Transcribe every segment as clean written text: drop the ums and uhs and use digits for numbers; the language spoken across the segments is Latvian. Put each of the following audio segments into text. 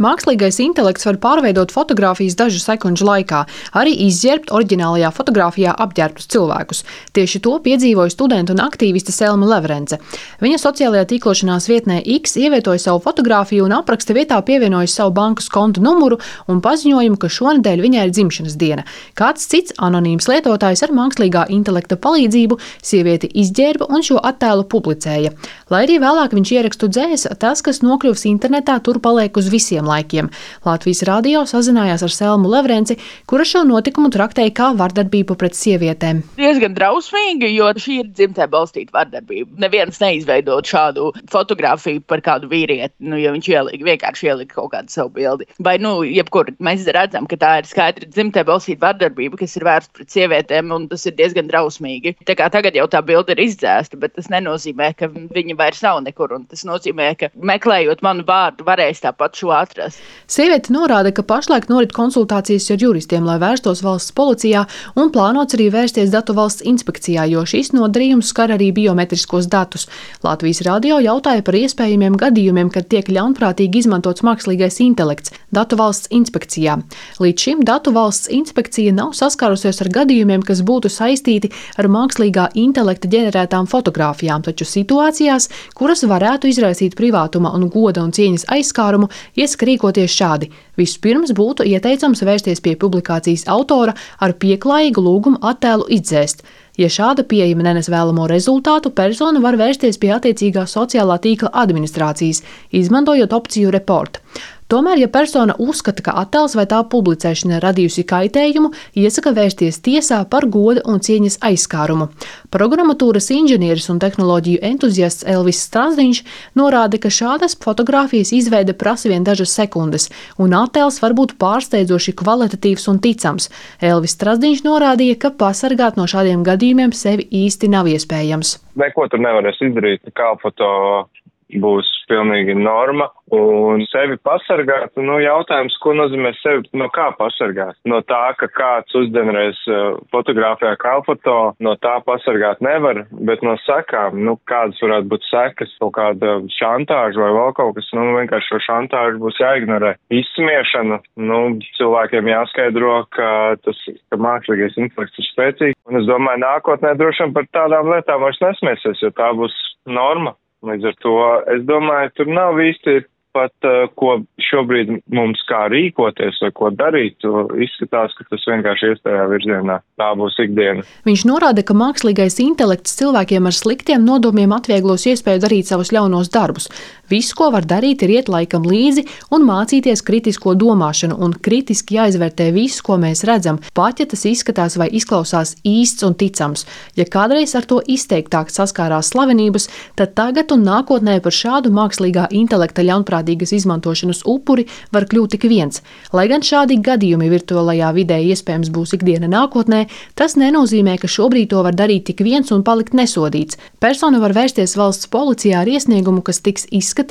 Mākslīgais intelekts var pārveidot fotogrāfijas dažu sekundžu laikā, arī izģērbt oriģinālajā fotogrāfijā apģērbtus cilvēkus. Tieši to piedzīvoja studenta un aktīviste Selma Levrence. Viņa sociālajā tīklošanās vietnē X ievietoja savu fotogrāfiju un apraksta vietā pievienoja savu bankas konta numuru un paziņojumu, ka šonedēļ viņai ir dzimšanas diena. Kāds cits anonīms lietotājs ar mākslīgā intelekta palīdzību sievieti izģērba un šo attēlu publicēja. Lai arī vēlāk viņš ierakstu dzēsa, tas, kas nokļuvis internetā, tur paliek uz visiem laikiem. Latvijas radio sazinājās ar Selmu Levrenci, kura šo notikumu traktēja kā vardarbību pret sievietēm. Diezgan drausmīgi, jo šī ir dzimtē balstīta vardarbība. Neviens neizveidot šādu fotogrāfiju par kādu vīrieti, ja viņš vienkārši ielika kaut kādu savu bildi. Vai, jebkur mēs redzam, ka tā ir skaidri dzimtē balstīta vardarbība, kas ir vērsta pret sievietēm, un tas ir diezgan drausmīgi. Tā kā tagad jau tā bilde ir izdzēsta, bet tas nenozīmē, ka viņa vairs nav nekur, un tas nozīmē, ka meklējot manu vārdu, varēs tāpat šo atrast. Sieviete norāda, ka pašlaik norit konsultācijas ar juristiem, lai vērstos valsts policijā, un plānots arī vērsties Datu valsts inspekcijā, jo šis nodarījums skar arī biometriskos datus. Latvijas radio jautāja par iespējamiem gadījumiem, kad tiek ļaunprātīgi izmantots mākslīgais intelekts Datu valsts inspekcijā. Līdz šim Datu valsts inspekcija nav saskārusies ar gadījumiem, kas būtu saistīti ar mākslīgā intelekta ģenerētām fotogrāfijām, taču situācijās, kuras varētu izraisīt privātuma un goda un cieņas aizskārumu, iesaka rīkoties šādi. Vispirms būtu ieteicams vērsties pie publikācijas autora ar pieklājīgu lūgumu attēlu izdzēst. Ja šāda pieejama nenes vēlamo rezultātu, persona var vērsties pie attiecīgā sociālā tīkla administrācijas, izmantojot opciju report. Tomēr, ja persona uzskata, ka attēls vai tā publicēšana radījusi kaitējumu, iesaka vērsties tiesā par goda un cieņas aizskārumu. Programmatūras inženieris un tehnoloģiju entuziasts Elvis Strazdiņš norāda, ka šādas fotogrāfijas izveide prasa vien dažas sekundes, un attēls var būt pārsteidzoši kvalitatīvs un ticams. Elvis Strazdiņš norādīja, ka pasargāt no šādiem gadījumiem sevi īsti nav iespējams. Neko tur nevarēs izdarīt, kā foto būs pilnīgi norma, un sevi pasargāt, jautājums, ko nozīmē sevi, no kā pasargāt? No tā, ka kāds uzģenerēs fotogrāfijā kā foto, no tā pasargāt nevar, bet no sekām, kādas varētu būt sekas, kaut kāda šantāža vai vēl kaut kas, vienkārši šo šantāžu būs jāignorē. Izsmiešana, cilvēkiem jāskaidro, ka mākslīgais intelekts ir spēcīgs, un es domāju, nākotnē droši vien par tādām lietām vairs nesmiesies, jo tā būs norma. Līdz ar to, es domāju, tur nav īsti pat, ko šobrīd mums kā rīkoties vai ko darīt. Izskatās, ka tas vienkārši ies tajā virzienā. Tā būs ikdiena. Viņš norāda, ka mākslīgais intelekts cilvēkiem ar sliktiem nodomiem atvieglos iespēju darīt savus ļaunos darbus. Viss, ko var darīt, ir iet laikam līdzi un mācīties kritisko domāšanu un kritiski jāizvērtē viss, ko mēs redzam, pat ja tas izskatās vai izklausās īsts un ticams. Ja kādreiz ar to izteiktāk saskārās slavenības, tad tagad un nākotnē par šādu mākslīgā intelekta ļaunprātīgas izmantošanas upuri var kļūt tik viens. Lai gan šādi gadījumi virtuālajā vidē iespējams būs ikdiena nākotnē, tas nenozīmē, ka šobrīd to var darīt tik viens un palikt nesodīts. Persona var vērsties valsts policijā ar iesniegumu, kas tiks izskatīts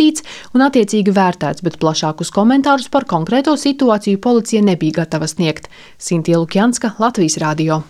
un attiecīgi vērtēts, bet plašākus komentārus par konkrēto situāciju policija nebija gatava sniegt. Sintīja Lukjanska, Latvijas radio.